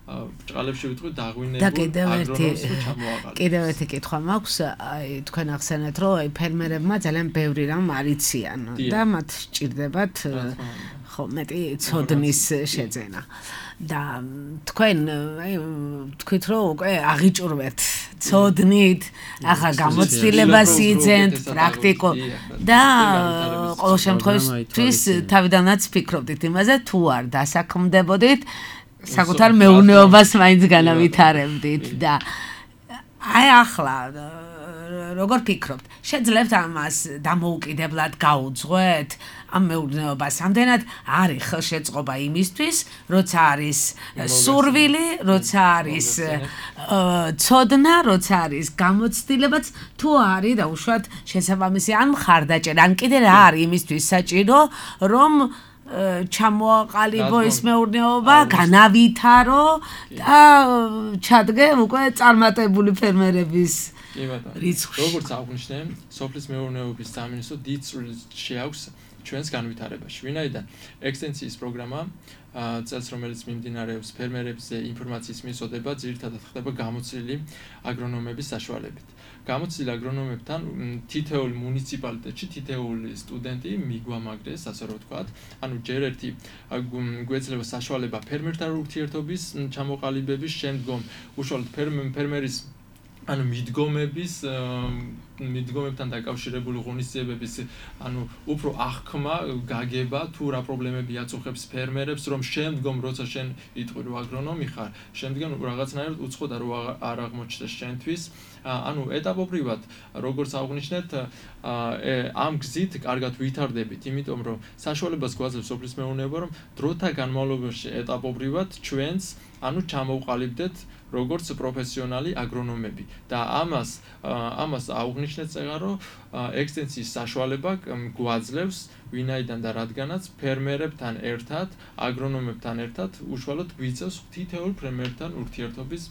ბრჭყალებში ვიტყვი დაღვინებულ აგრონომს ჩამოაყალიბეთ. კიდევ ერთი კითხვა მაქვს, აი თქვენ ახსენეთ, რომ აი ფერმერებმა ძალიან ბევრი რამ არიციან და მათ სჭირდებათ ხო მეტი ცოდნის შეძენა. და თქვენ აი თქვით რომ უკვე აღიჭურვეთ ცოდნით, ახლა გამოცდილებას იძენთ პრაქტიკულ და ყოველ შემთხვევაში თავიდანაც ფიქრობდით იმაზე თუ არ დასაქმდებოდით საკუთარ მეურნეობას მაინც განავითარებდით და აი ახლა როგორ ფიქრობთ? შეძლებთ ამას დამოუკიდებლად გაუძღვეთ ამ მეურნეობას? ამდენად არის ხელშეწყობა იმისთვის, როცა არის სურვილი, როცა არის ცოდნა, როცა არის გამოცდილებაც, თუ არის დაუშვათ შესაბამისი ან მხარდაჭერა, ან კიდე რა არის იმისთვის საჭირო, რომ ჩამოაყალიბო ის მეურნეობა, განავითარო და ჩადგე უკვე წარმატებული ფერმერების რიცხვში. როგორც აღნიშნე, სოფლის მეურნეობის სამინისტრო დიდ წვლილს შეაქვს ჩვენს განვითარებაში. ვინაიდან ექსტენსიის პროგრამა წელს, რომელიც მიმდინარეობს ფერმერებზე ინფორმაციის მიწოდება, ძირითადად ხდება გამოცდილი აგრონომების საშუალებით. გამოცდილ აგრონომებთან თითოეულ მუნიციპალიტეტში თითოეული სტუდენტი მიგვამაგრეს, ასე რომ ვთქვათ, ანუ ჯერ ერთი გვეძლება საშუალება ფერმერთან ურთიერთობის ჩამოყალიბების, შემდგომ უშუალოდ ფერმერის ანუ მიდგომების მიდგომებთან დაკავშირებული ღონისძიებების, ანუ უფრო აღქმა, გაგება, თუ რა პრობლემები აწუხებს ფერმერებს, რომ შემდგომ როცა შენ იტყვი რომ აგრონომი ხარ, შემდგომ რაღაცნაირად უცხო და რო არ აღმოჩნდეს შენთვის, ანუ ეტაპობრივად, როგორც აღნიშნეთ, ამ გზით კარგად ვითარდებით, იმიტომ რომ საშუალებას გვაძლევს სოფლის მეურნეობა, რომ დროთა განმავლობაში ეტაპობრივად ჩვენს, ანუ ჩამოვყალიბდეთ როგორც პროფესიონალი აგრონომები და ამას ამას აღნიშნეთ წეგარო ექსტენსიის საშუალება გვაძლევს ვინაიდან და რადგანაც ფერმერებთან ერთად, აგრონომებთან ერთად უშუალოდ გვიწევს თითოეულ ფერმერთან ურთიერთობის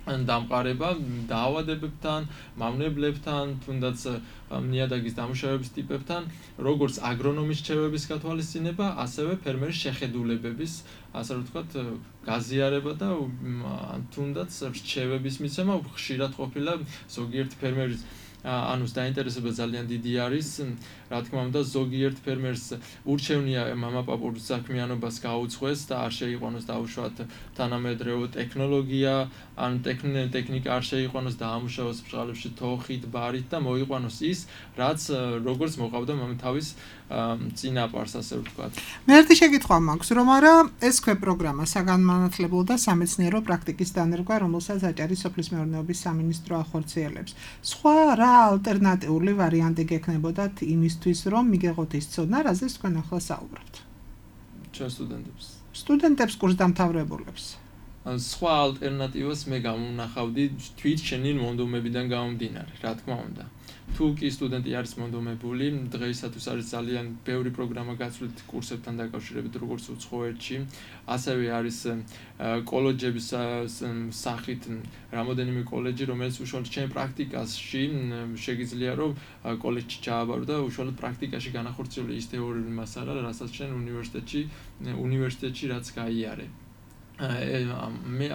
დამყარება დაავადებებთან, მავნებლებთან, თუნდაც ნიადაგის დამუშავების ტიპებთან, როგორც აგრონომის რჩევების გათვალისწინება, ასევე ფერმერის შეხედულებების, ასე რომ ვთქვათ, გაზიარება და თუნდაც რჩევების მიცემა ხშირად ყოფილა ზოგიერთ ფერმერის ანუ დაინტერესება ძალიან დიდი არის, რა თქმა უნდა, ზოგიერთ ფერმერს ურჩევნია მამაპაპურ საქმიანობას გაუძღვეს და არ შეიყვანოს დაუშვათ თანამედროვე ტექნოლოგია, ან ტექნიკა არ შეიყვანოს და ამუშავოს ბრჭყალებში თოხით, ბარით და მოიყვანოს ის, რაც როგორც მოყავდა თავის წინაპარს, ასე ვთქვათ. მე ერთი შეკითხვა მაქვს, რომ არა ეს ქვე პროგრამა საგანმანათლებლო და სამეცნიერო პრაქტიკის დანერგვა, რომელსაც აჭარის სოფლის მეურნეობის სამინისტრო ახორციელებს. სხვა რა ალტერნატიული ვარიანტი გექნებოდათ იმისთვის, რომ მიგეღოთ ის ცოდნა, რაზეც თქვენ ახლა საუბრობთ? ჩვენ სტუდენტებს. სტუდენტებს კურსდამთავრებულებს. სხვა ალტერნატივას მე გამონახავდი თვით შენი მონდომებიდან გამომდინარე, რა თქმა უნდა. თუ კი სტუდენტი არის მონდომებული, დღეისათვის არის ძალიან ბევრი პროგრამა გაცვლით კურსებთან დაკავშირებით, როგორც უცხოეთში, ასევე არის კოლეჯების სახით რამოდენიმე კოლეჯი, რომელიც უშუალოდ ჩემ პრაქტიკაში შეგიძლია რომ კოლეჯში ჩააბარო და უშუალოდ პრაქტიკაში განახორციელო ის თეორიული მასალა, რასაც შენ უნივერსიტეტში უნივერსიტეტში რაც გაიარე. მე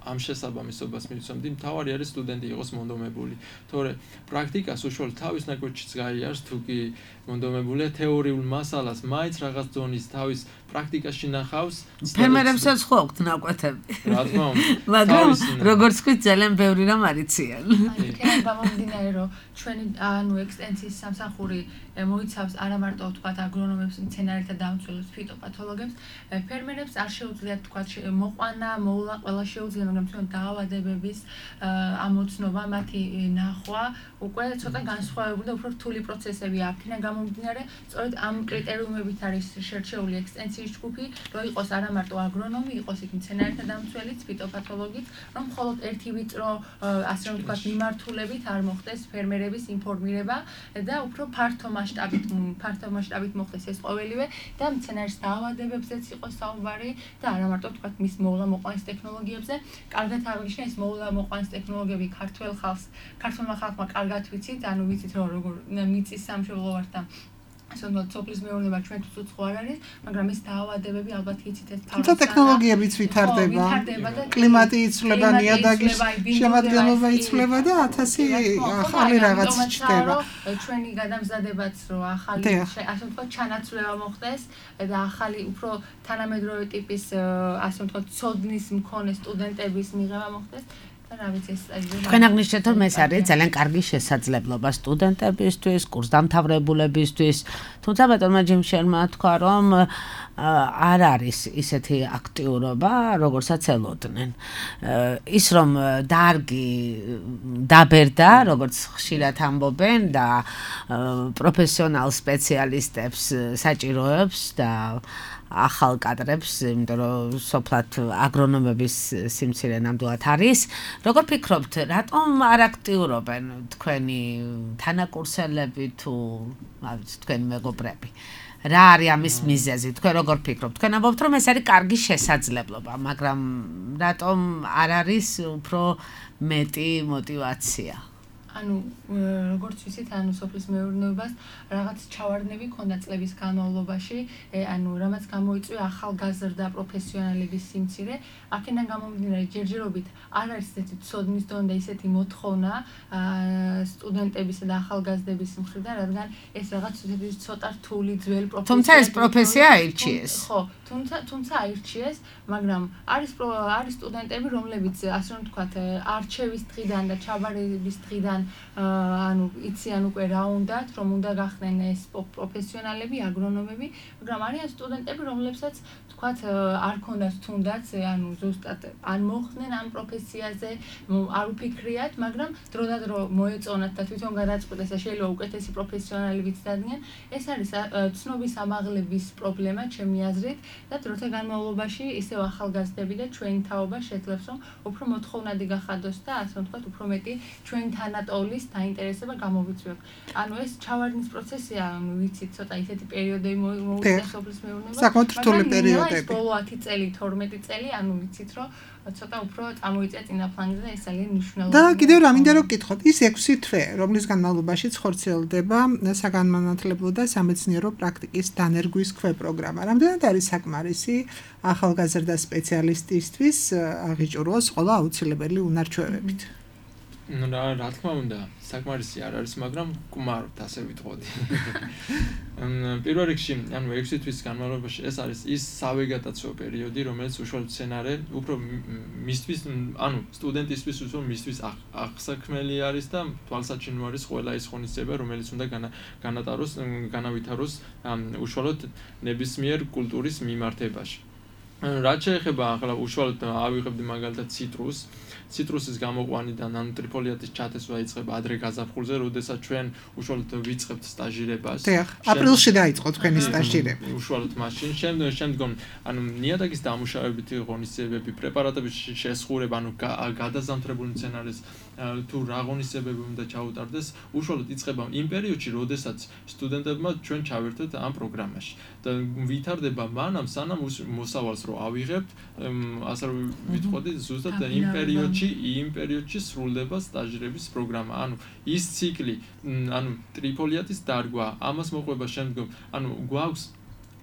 ამ შესაბამისობას მივცემდი, მთავარი არის სტუდენტი იყოს მონდომებული, თორე პრაქტიკას უშუალოდ თავის ნაკვეთშიც გაიარს, თუ კი მონდომებულია თეორიულ მასალას, მაინც რაღაც დონის თავის პრაქტიკაში ნახავს. ფერმერებსაც ხო აქვთ ნაკვეთები. რა თქმა უნდა. მაგრამ როგორც ვთქვით, ძალიან ბევრი რამ არიციან. აი, გამომდინარე, რომ ჩვენი ანუ ექსტენსიის სამსახური მოიცავს არა მარტო ვთქვათ აგრონომებს, მცენარეთა დამცველებს, ფიტოპათოლოგებს, ფერმერებს არ შეუძლიათ ვთქვათ მოყვანა, მოვლა, ყველა შეუძლია, მაგრამ ჩვენ დაავადებების ამოცნობა, მათი ნახვა უკვე ცოტა განსხვავებული და უფრო რთული პროცესები აქ. იქნა გამომდინარე, სწორედ ამ კრიტერიუმებით არის შერჩეული ექსტენსია პროფესიის ჯგუფი, რომ იყოს არა მარტო აგრონომი, იყოს იქ მცენარეთა დამცველიც, ფიტოპათოლოგიც, რომ მხოლოდ ერთი ვიწრო, ასე რომ ვთქვათ, მიმართულებით არ მოხდეს ფერმერების ინფორმირება და უფრო ფართო მასშტაბით, ფართო მასშტაბით მოხდეს ეს ყოველივე და მცენარის დაავადებებზეც იყოს საუბარი და არა მარტო ვთქვათ მის მოვლა-მოყვანის ტექნოლოგიებზე. კარგად აღნიშნე ეს მოვლა-მოყვანის ტექნოლოგიები ქართველ ხალხს, ქართველმა ხალხმა კარგად ვიცით, ანუ ვიცით რომ როგორ მიწის სამშობლო ვართ და ასე რომ სოფლის მეურნეობა ჩვენთვის უცხო არ არის, მაგრამ ეს დაავადებები ალბათ იცით ეს თუმცა ტექნოლოგიებიც ვითარდება, კლიმატი იცვლება, ნიადაგის შემადგენლობა იცვლება და ათასი ახალი რაღაც ჩნდება. ჩვენი გადამზადებაც რომ ახალი ასე ვთქვათ ჩანაცვლება მოხდეს და ახალი უფრო თანამედროვე ტიპის ასე ვთქვათ ცოდნის მქონე სტუდენტების მიღება მოხდეს. თქვენ აღნიშნეთ რომ ეს არის ძალიან კარგი შესაძლებლობა სტუდენტებისთვის, კურსდამთავრებულებისთვის, თუმცა ბატონმა ჯიმშერმა თქვა რომ არ არის ისეთი აქტიურობა, როგორცაც ელოდნენ. ის რომ დარგი დაბერდა, როგორც ხშირად ამბობენ და პროფესიონალ სპეციალისტებს საჭიროებს და ახალ კადრებს, იმიტომ რომ სოფლად აგრონომების სიმცირე ნამდვილად არის. Როგორ ფიქრობთ, რატომ არ აქტიურობენ თქვენი თანაკურსელები თუ თქვენი მეგობრები? რა არის ამის მიზეზი? თქვენ როგორ ფიქრობთ? თქვენ ამბობთ, რომ ეს არის კარგი შესაძლებლობა, მაგრამ რატომ არ არის უფრო მეტი мотиваცია? ანუ როგორც ვიცით, ანუ სოფლის მეურნეობას რაღაც ჩავარდნები ქონდა წლების განმავლობაში, ანუ რამაც გამოიწვია ახალგაზრდა პროფესიონალების სიმცირე, აქედან გამომდინარე ჯერჯერობით არ არის ესეთი ცოდნის დონე და ისეთი მოთხოვნა სტუდენტებისა და ახალგაზრდების მხრიდან, რადგან ეს რაღაც ცოტა რთული ძველი პროფესია. თუმცა ეს პროფესია აირჩიეს. ხო, თუმცა თუმცა აირჩიეს, მაგრამ არის არის სტუდენტები, რომლებიც ასე რომ ვთქვათ, არჩევის დღიდან და ჩაბარების დღიდან ანუ იციან უკვე რა უნდათ, რომ უნდა გახდნენ ეს პროფესიონალები, აგრონომები, მაგრამ არიან სტუდენტები, რომლებსაც თქვათ არ ქონდათ თუნდაც, ანუ ზუსტად არ მოხდნენ ამ პროფესიაზე, არ უფიქრიათ, მაგრამ დროდადრო მოეწონათ და თვითონ გადაწყვიტეს და შეიძლება უკეთესი პროფესიონალებიც დადგნენ. ეს არის ცნობის ამაღლების პრობლემა, ჩემი აზრით, და დროთა განმავლობაში ისევ ახალგაზრდები და ჩვენი თაობა შეძლებს, რომ უფრო მოთხოვნადი გახადოს და ასე ვთქვათ, უფრო მეტი ჩვენი თანატოლის დაინტერესება გამოვიწვიოთ. ანუ ეს ჩავარდნის პროცესია, ანუ ვიცით, ცოტა ისეთი პერიოდები მოუწია სოფლის მეურნეობას. საკმაოდ რთული პერიოდები. ბოლო ათი წელი, თორმეტი წელი, ანუ ვიცით, რომ ცოტა უფრო წამოიწია წინაფლანგზე და ეს ძალიან მნიშვნელოვანია. და კიდევ რა მინდა რომ გითხოთ, ის ექვსი თვე, რომლის განმავლობაში ხორციელდება საგანმანათლებლო და სამეცნიერო პრაქტიკის დანერგვის ქვეპროგრამა. რამდენად არის საკმარისი ახალგაზრდა სპეციალისტისთვის აღიჭუროს ყველა აუცილებელი უნარჩვევებით? ну რა რა თქმა უნდა საკმარისი არ არის მაგრამ გმართ ასე ვიტყოდი პირველ რიგში ანუ ექვსი თვის განმავლობაში ეს არის ის სავეგეტაციო პერიოდი რომელიც უშუალოდ სცენარე უფრო მისთვის ანუ სტუდენტისთვის უშუალოდ მისთვის აღსაქმელი არის და თვალსაჩინო არის ყველა ის ღონისძიება რომელიც უნდა განატაროს განავითაროს უშუალოდ ნებისმიერ კულტურის მიმართებაში რაც შეეხება ახლა უშუალოდ ავიღებდი მაგალითად ციტრუსს ციტრუსის გამოყვანიდან ანუ ტრიფოლიატის ჩათესვა იწყება ადრე გაზაფხულზე, როდესაც ჩვენ უშუალოდ ვიწყებთ სტაჟირებას. დიახ, აპრილში დაიწყო თქვენი სტაჟირება. უშუალოდ მაშინ, შემდგომ შემდგომ ანუ ნიადაგის დამუშავებითი ღონისძიებები, პრეპარატების შესხურება, ანუ გადაზამთრებული მცენარის თუ რა ღონისძიებები უნდა ჩაუტარდეს, უშუალოდ იწყება იმ პერიოდში, როდესაც სტუდენტებმა ჩვენ ჩავერთეთ ამ პროგრამაში. და ვითარდება მანამ, სანამ მოსავალს რო ავიღებთ, ასე რომ ვიტყოდი, ზუსტად იმ პერიოდში იმ პერიოდში სრულდება სტაჟირების პროგრამა. ანუ ის ციკლი, ანუ ტრიფოლიატის დარგვა, ამას მოყვება შემდგომ, ანუ გვაქვს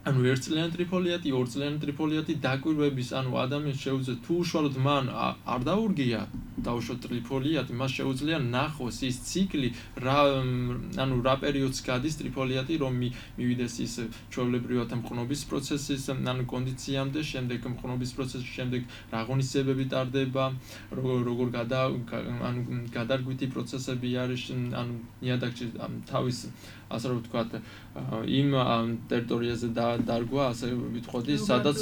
ანუ ერთწლიანი ტრიფოლიატი, ორწლიანი ტრიფოლიატი დაკვირვების, ანუ ადამიანს შეუძლია თუ უშუალოდ მან არ დაურგია დაუშვათ ტრიფოლიატი, მას შეუძლია ნახოს ის ციკლი, რა ანუ რა პერიოდს გადის ტრიფოლიატი, რომ მივიდეს ის ჩვეულებრივად მყნობის პროცესის, ანუ კონდიციამდე, შემდეგ მყნობის პროცესის შემდეგ რა ღონისძიებები ტარდება, როგორ გადა ანუ გადარგვითი პროცესები არის, ანუ ნიადაგში თავის ასე რომ ვთქვათ, იმ ტერიტორიაზე დარგვა, ასე ვიტყოდი, სადაც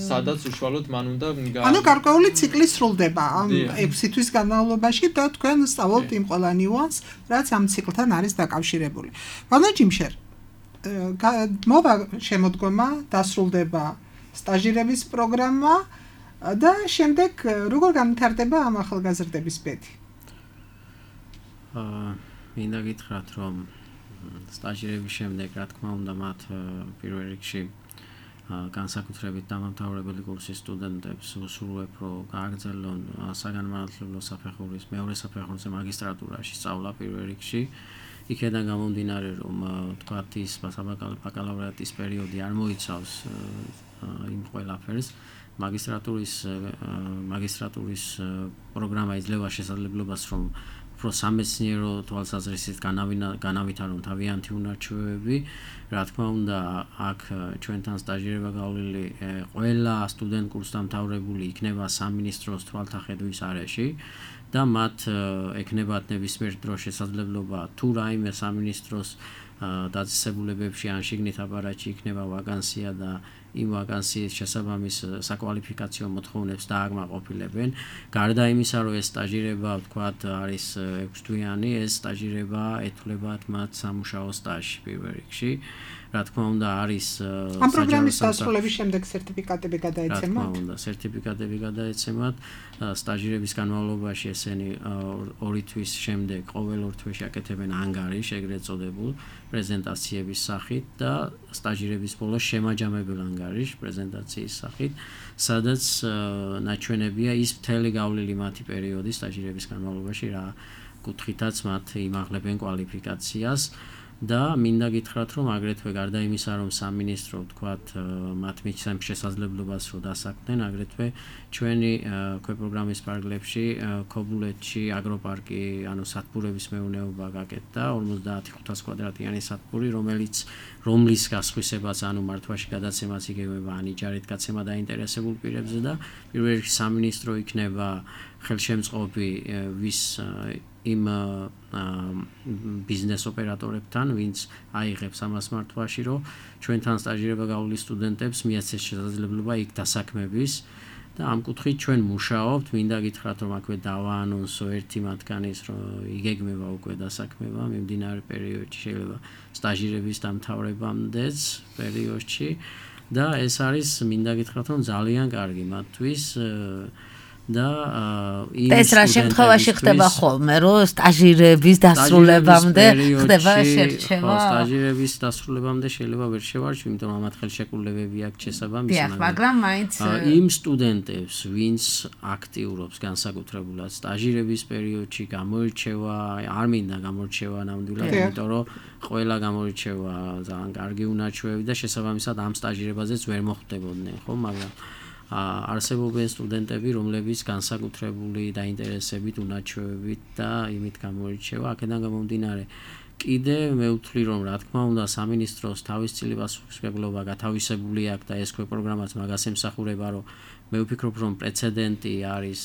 სადაც უშუალოდ მან უნდა ანუ გარკვეული ციკლი სრულდება ამ ექვსი თვის განმავლობაში და თქვენ სწავლობთ იმ ყველა ნიუანსს, რაც ამ ციკლთან არის დაკავშირებული. ბატონო ჯიმშერ, მოვა შემოდგომა, დასრულდება სტაჟირების პროგრამა და შემდეგ როგორ განვითარდება ამ ახალგაზრდების ბედი? აა მინდა გითხრათ, რომ სტაჟირების შემდეგ, რა თქმა უნდა, მათ პირველ რიგში განსაკუთრებით დამამთავრებელი კურსის სტუდენტებს ვუსურვებ, რომ გააგრძელონ საგანმანათლებლო საფეხურის მეორე საფეხურზე მაგისტრატურაში სწავლა პირველ რიგში. იქედან გამომდინარე, რომ თქვათ ის ბაკალავრიატის პერიოდი არ მოიცავს იმ ყველაფერს, მაგისტრატურის მაგისტრატურის პროგრამა იძლევა შესაძლებლობას, რომ უფრო სამეცნიერო თვალსაზრისით განავითარონ თავიანთი უნარჩვევები. რა თქმა უნდა, აქ ჩვენთან სტაჟირება გავლილი ყველა სტუდენტ კურსდამთავრებული იქნება სამინისტროს თვალთახედვის არეში და მათ ექნებათ ნებისმიერ დროს შესაძლებლობა თუ რაიმე სამინისტროს დაწესებულებებში ან შიგნით აპარატში იქნება ვაკანსია და იმ ვაკანსიის შესაბამის საკვალიფიკაციო მოთხოვნებს დააკმაყოფილებენ. გარდა იმისა, რომ ეს სტაჟირება, ვთქვათ, არის ექვსთვიანი, ეს სტაჟირება ეთვლებათ მათ სამუშაო სტაჟში პირველ რიგში. რა თქმა უნდა, არის ამ პროგრამის დასრულების შემდეგ სერტიფიკატები გადაეცემათ? რა თქმა უნდა, სერტიფიკატები გადაეცემათ. სტაჟირების განმავლობაში ესენი ორი თვის შემდეგ ყოველ ორ თვეში აკეთებენ ანგარიშს, ეგრეთ წოდებულ პრეზენტაციების სახით და სტაჟირების ბოლოს შემაჯამებელ ანგარიშს პრეზენტაციის სახით, სადაც ნაჩვენებია ის მთელი გავლილი მათი პერიოდი სტაჟირების განმავლობაში, რა კუთხითაც მათ იმაღლებენ კვალიფიკაციას. და მინდა გითხრათ, რომ აგრეთვე გარდა იმისა, რომ სამინისტრო ვთქვათ, მათ მიცემს შესაძლებლობას, რომ დასაქმდნენ, აგრეთვე ჩვენი ქვეპროგრამის პარკლებში, ქობულეთში აგროპარკი, ანუ სათბურების მეურნეობა გაკეთდა, ორმოცდაათი ხუთას კვადრატიანი სათბური, რომელიც რომლის გასხვისებაც, ანუ მართვაში გადაცემაც იგეგმება, ან იჯარით გაცემა დაინტერესებულ პირებზე და პირველ რიგში სამინისტრო იქნება ხელშემწყობი ვის იმ ბიზნეს ოპერატორებთან, ვინც აიღებს ამას მართვაში, რომ ჩვენთან სტაჟირება გავლილი სტუდენტებს მიაცეს შესაძლებლობა იქ დასაქმების და ამ კუთხით ჩვენ მუშაობთ. მინდა გითხრათ, რომ აქვე დავაანონსო ერთი მათგანის, რომ იგეგმება უკვე დასაქმება მიმდინარე პერიოდში, შეიძლება სტაჟირების დამთავრებამდეც პერიოდში და ეს არის, მინდა გითხრათ, რომ ძალიან კარგი მათთვის და ეს რა შემთხვევაში ხდება ხოლმე, რომ სტაჟირების დასრულებამდე ხდება შერჩევა? სტაჟირების დასრულებამდე შეიძლება ვერ შევარჩიო, იმიტომ რომ ამათ ხელშეკრულებები აქვს შესაბამისი, მაგრამ მაინც იმ სტუდენტებს, ვინც აქტიურობს განსაკუთრებულად სტაჟირების პერიოდში, გამოირჩევა, არ მინდა გამოირჩევა ნამდვილად, იმიტომ რომ ყველა გამოირჩევა ძალიან კარგი უნარჩვევები და შესაბამისად ამ სტაჟირებაზეც ვერ მოხვდებოდნენ, ხო, მაგრამ არსებობენ სტუდენტები, რომლებიც განსაკუთრებული დაინტერესებით, უნარჩვევებით და იმით გამოირჩევა. აქედან გამომდინარე, კიდე მე ვთვლი, რომ რა თქმა უნდა, სამინისტროს თავისწილი პასუხისმგებლობა გათავისებული აქვს და ეს ქვეპროგრამაც მაგას ემსახურება, რომ მე ვფიქრობ, რომ პრეცედენტი არის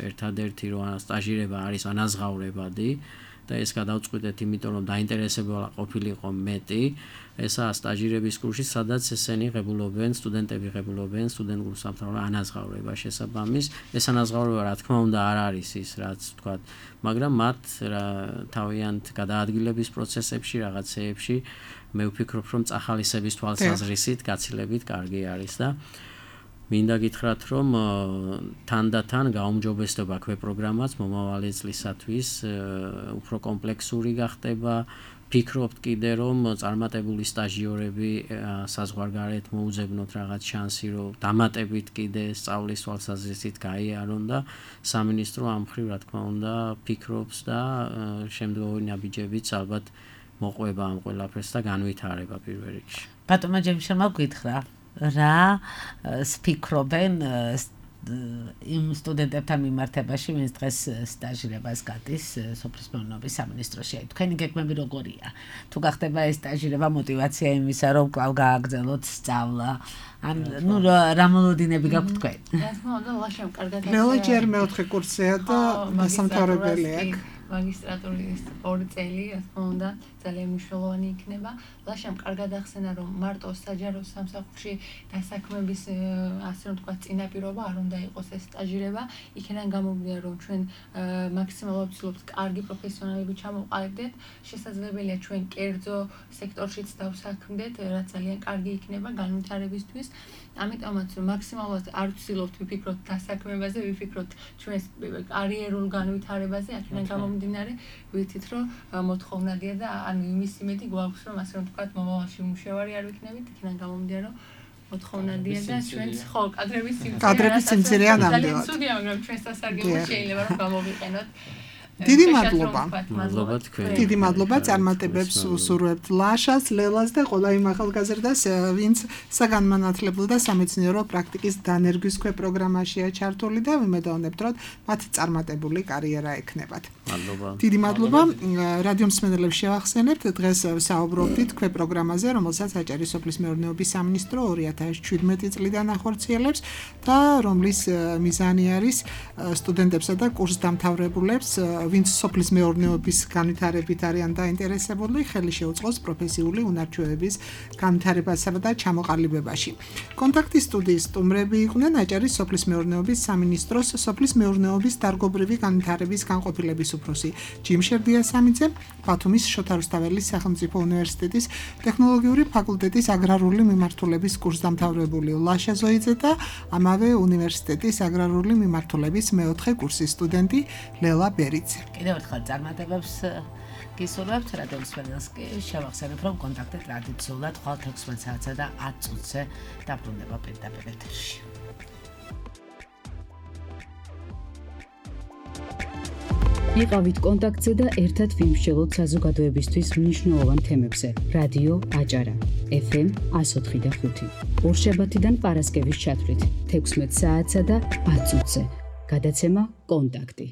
ერთადერთი, რომ სტაჟირება არის ანაზღაურებადი და ეს გადავწყვიტეთ, იმიტომ რომ დაინტერესება ყოფილიყო მეტი. ესაა სტაჟირების კურსი, სადაც ესენი ღებულობენ, სტუდენტები ღებულობენ სტუდენტ კურსდამთავრება ანაზღაურება შესაბამის. ეს ანაზღაურება რა თქმა უნდა არ არის ის, რაც ვთქვათ, მაგრამ მათ თავიანთ გადაადგილების პროცესებში, რაღაცეებში მე ვფიქრობ, რომ წახალისების თვალსაზრისით გაცილებით კარგი არის და მინდა გითხრათ, რომ თანდათან გაუმჯობესდება ქვეპროგრამაც მომავალი წლისათვის უფრო კომპლექსური გახდება. ფიქრობთ კიდე, რომ წარმატებული სტაჟიორები საზღვარგარეთ მოუძებნოთ რაღაც შანსი, რომ დამატებით კიდე სწავლის თვალსაზრისით გაიარონ და სამინისტრო ამ მხრივ, რა თქმა უნდა, ფიქრობს და შემდგომი ნაბიჯებიც ალბათ მოყვება ამ ყველაფერს და განვითარება პირველ რიგში. ბატონო ჯემშელმა გითხრა, რა ფიქრობენ იმ სტუდენტებთან მიმართებაში, ვინც დღეს სტაჟირებას გადის სოფლის მეურნეობის სამინისტროში. თქვენი გეგმები როგორია? თუ გახდება ეს სტაჟირება მოტივაცია იმისა, რომ კვლავ გააგრძელოთ სწავლა, ან ნუ რა მოლოდინები გაქვთ თქვენ? რა თქმა უნდა, ლაშემ კარგად ლელა ჯერ მეოთხე კურსია და დასამთავრებელი აქვს. მაგისტრატურის ორი წელი, რა თქმა უნდა, ძალიან მნიშვნელოვანი იქნება. ლაშამ კარგად ახსენა, რომ მარტო საჯარო სამსახურში დასაქმების ასე რომ თქვა წინაპირობა არ უნდა იყოს ეს სტაჟირება. იქიდან გამომდინარე, რომ ჩვენ მაქსიმალურად ვცდილობთ კარგი პროფესიონალები ჩამოვყალიბდეთ, შესაძლებელია ჩვენ კერძო სექტორშიც დავსაქმდეთ, რაც ძალიან კარგი იქნება განვითარებისთვის. ამიტომაც რომ მაქსიმალურად არ ვცდილობთ ვიფიქროთ დასაქმებაზე, ვიფიქროთ ჩვენს კარიერულ განვითარებაზე, აქედან გამომდინარე, ვიცით რომ მოთხოვნადია და ან იმის იმედი გვაქვს, რომ ასე რომ თქვა მომავალში უმუშევარი არ ვიქნებით, იქიდან გამომდინარე, რომ მოთხოვნადია და ჩვენც ხო კადრების სიმცირე კადრების სიმცირეა ნამდვილად. ცუდია, მაგრამ ჩვენს სასარგებლო შეიძლება რომ გამოვიყენოთ. დიდი მადლობა. მადლობა თქვენ. დიდი მადლობა წარმატებებს უსურვებთ ლაშას, ლელას და ყველა იმ ახალგაზრდას, ვინც საგანმანათლებლო და სამეცნიერო პრაქტიკის დანერგვის ქვე პროგრამაშია ჩართული და ვიმედოვნებთ, რომ მათ წარმატებული კარიერა ექნებათ. მადლობა. დიდი მადლობა. რადიო მსმენელებს შევახსენებთ, დღეს საუბრობდით ქვე პროგრამაზე, რომელსაც აჭარის სოფლის მეურნეობის სამინისტრო ორი ათას ჩვიდმეტი წლიდან ახორციელებს და რომლის მიზანი არის სტუდენტებსა და კურსდამთავრებულებს, ვინც სოფლის მეურნეობის განვითარებით არიან დაინტერესებული, ხელი შეუწყოს პროფესიული უნარჩვევების განვითარებასა და ჩამოყალიბებაში. კონტაქტის სტუდიის სტუმრები იყვნენ აჭარის სოფლის მეურნეობის სამინისტროს სოფლის მეურნეობის დარგობრივი განვითარების განყოფილების უფროსი ჯიმშერ დიასამიძე, ბათუმის შოთა რუსთაველის სახელმწიფო უნივერსიტეტის ტექნოლოგიური ფაკულტეტის აგრარული მიმართულების კურსდამთავრებული ლაშა ზოიძე და ამავე უნივერსიტეტის აგრარული მიმართულების მეოთხე კურსის სტუდენტი ლელა ბერიძე. კიდევ ერთხელ წარმატებებს გისურვებთ რადიო მსმენელს კი შევახსენებ, რომ კონტაქტი ტრადიციულად ხვალ თექვსმეტ საათსა და ათ წუთზე დაბრუნდება პირდაპირ ეთერში. იყავით კონტაქტზე და ერთად ვიმსჯელოთ საზოგადოებისთვის მნიშვნელოვან თემებზე. რადიო აჭარა, ეფ ემ εκατო ოთხი და ხუთი. ორშაბათიდან პარასკევის ჩათვლით თექვსმეტ საათსა და ათ წუთზე. გადაცემა კონტაქტი.